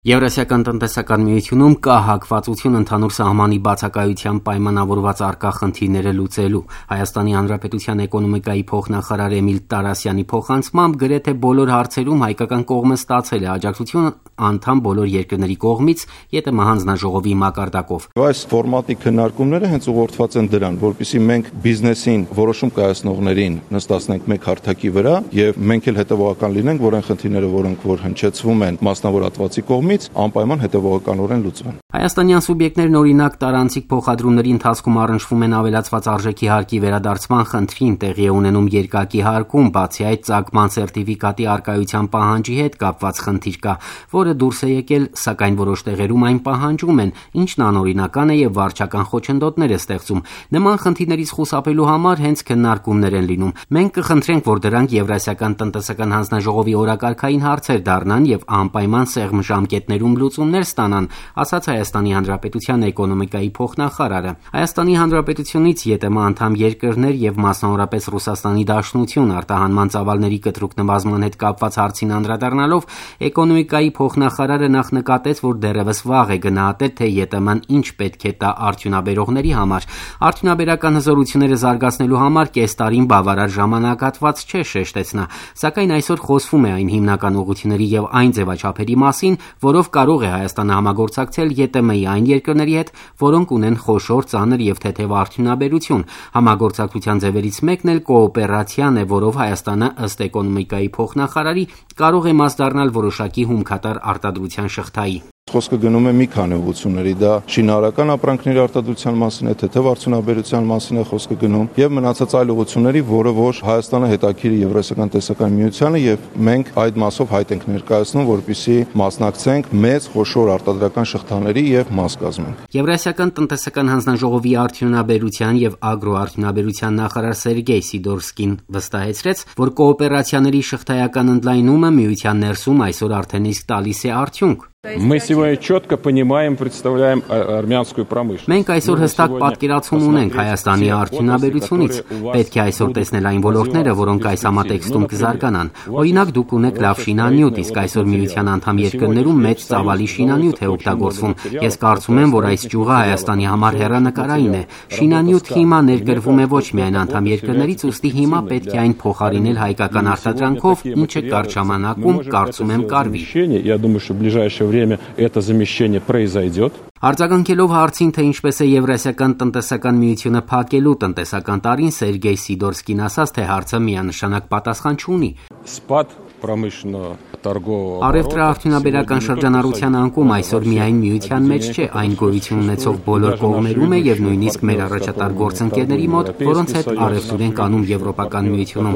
Եվրասիական տնտեսական միությունում կա հակվածություն ընդհանուր սահմանի բացակայությամբ պայմանավորված առկա խնդիրները լուծելու։ Հայաստանի Հանրապետության էկոնոմիկայի փոխնախարար Էմիլ Տարասյանի փոխանցմամբ գրեթե բոլոր հարցերում հայկական կողմը ստացել է աջակցություն անդամ բոլոր երկրների կողմից ԵՏՄ հանձնաժողովի մակարդակով։ Այս ֆորմատի քննարկումները հենց ուղղորդված են դրան, որպեսզի մենք բիզնեսին որոշում կայացնողներին նստացնենք մեկ հարթակի վրա եւ մենք էլ հետեւողական լինենք, որ այն խնդիրները, որոնք որ հնչեցվում են մասնավորատվածի կողմից, անպայման հետևողականորեն լուծվեն։ Հայաստանյան սուբյեկտներն օրինակ տարանցիկ փոխադրումների ընթացքում առնչվում են ավելացված արժեքի հարկի վերադարձման խնդրին, տեղի է ունենում երկակի հարկում, բացի այդ ծագման սերտիֆիկատի առկայության պահանջի հետ կապված խնդիր կա, որը դուրս է եկել, սակայն որոշ տեղերում այն պահանջում են, ինչն անօրինական է եւ վարչական խոչընդոտներ է ստեղծում։ Նման խնդիրներից խուսափելու համար հենց քննարկումներ են լինում։ Մենք կխնդրենք, որ դրանք Եվրասիական տնտեսական հանձնաժողովի օրակարգային հարցեր դառնան եւ անպայման սեղմ ժամկետներում լուծումներ ստանան, ասաց Հայաստանի Հանրապետության էկոնոմիկայի փոխնախարարը։ Հայաստանի Հանրապետությունից ԵՏՄ անդամ երկրներ եւ մասնավորապես Ռուսաստանի Դաշնություն արտահանման ծավալների կտրուկ նվազման հետ կապված հարցին անդրադառնալով էկոնոմիկայի փոխնախարարը նախ նկատեց, որ դեռևս վաղ է գնահատել, թե ԵՏՄ-ն ինչ պետք է տա արդյունաբերողների համար։ Արդյունաբերական հզորությունները զարգացնելու համար կես տարին բավարար ժամանակահատված չէ, շեշտեց նա, սակայն այսօր խոսվում է այն հիմնական ուղղությունների եւ այն ձևաչափերի մասին, որով կարող է Հայաստանը համագործակցել ԵՏՄ-ի այն երկրների հետ, որոնք ունեն խոշոր, ծանր եւ թեթև արդյունաբերություն։ Համագործակցության ձևերից մեկն էլ կոոպերացիան է, որով Հայաստանը ըստ էկոնոմիկայի փոխնախարարի կարող է մաս դառնալ որոշակի հումքատար արտադրության շղթայի։ Խոսքը գնում է մի քանի ուղղությունների, դա շինարարական ապրանքների արտադրության մասին է, թեթև արդյունաբերության մասին է խոսքը գնում եւ մնացած այլ ուղղությունների, որը որ Հայաստանը հետաքրիր է Եվրասիական տնտեսական միությանը եւ մենք այդ մասով հայտ ենք ներկայացնում, որպեսզի մասնակցենք մեծ խոշոր արտադրական շղթաների եւ մաս կազմենք։ Եվրասիական տնտեսական հանձնաժողովի արդյունաբերության եւ ագրոարդյունաբերության նախարար Սերգեյ Սիդորսկին վստահեցրեց, որ կոոպերացիաների շղթայական ընդլայնումը միության ներսում այսօր արդեն իսկ տալիս է արդյունք։ Мы сегодня четко понимаем, представляем армянскую промышленность. Մենք այսօր հստակ պատկերացում ունենք Հայաստանի արդյունաբերությունից։ Պետք է այսօր տեսնել այն ոլորտները, որոնք այս համատեքստում կզարգանան։ Օրինակ, դուք ունեք լավ շինանյութ, իսկ այսօր միության անդամ երկրներում մեծ ծավալի շինանյութ է օգտագործվում։ Ես կարծում եմ, որ այս ճյուղը Հայաստանի համար հեռանկարային է։ Շինանյութ հիմա ներկրվում է ոչ միայն անդամ երկրներից, ուստի հիմա պետք է այն փոխարինել հայկական արտադրանքով, ինչը կարճ ժամանակում կարծում եմ կարվի։ Я думаю, что в ближайшее время это замещение произойдет. Արձագանքելով հարցին, թե ինչպես է Եվրասիական տնտեսական միությունը փակելու տնտեսական տարին, Սերգեյ Սիդորսկին ասաց, թե հարցը միանշանակ պատասխան չունի։ Спад промышленного торгового Առևտրաարդյունաբերական շրջանառության անկում այսօր միայն միության մեջ չէ, այն գոյություն ունեցող բոլոր կողմերում է եւ նույնիսկ մեր առաջատար գործընկերների մոտ, որոնց հետ առևտուր ենք անում Եվրոպական միությունում։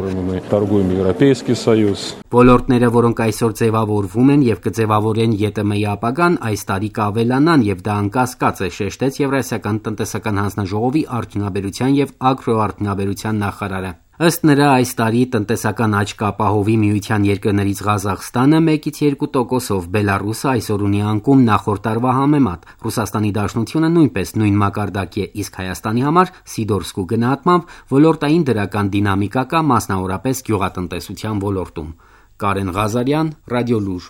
Ոլորտները, որոնք այսօր ձևավորվում են եւ կձևավորեն ԵՏՄ-ի ապագան, այս տարի կավելանան եւ դա անկասկած է, շեշտեց Եվրասիական տնտեսական հանձնաժողովի արդյունաբերության եւ ագրոարդյունաբերության նախարարը։ Ըստ նրա, այս տարի տնտեսական աճ կապահովի միության երկրներից Ղազախստանը 1-2%-ով, Բելարուսը այսօր ունի անկում նախորդ տարվա համեմատ։ Ռուսաստանի Դաշնությունը նույնպես նույն մակարդակի է, իսկ Հայաստանի համար Սիդորսկու գնահատմամբ ոլորտային դրական դինամիկա կա, մասնավորապես գյուղատնտեսության ոլորտում։ Կարեն Ղազարյան, Ռադիոլուր։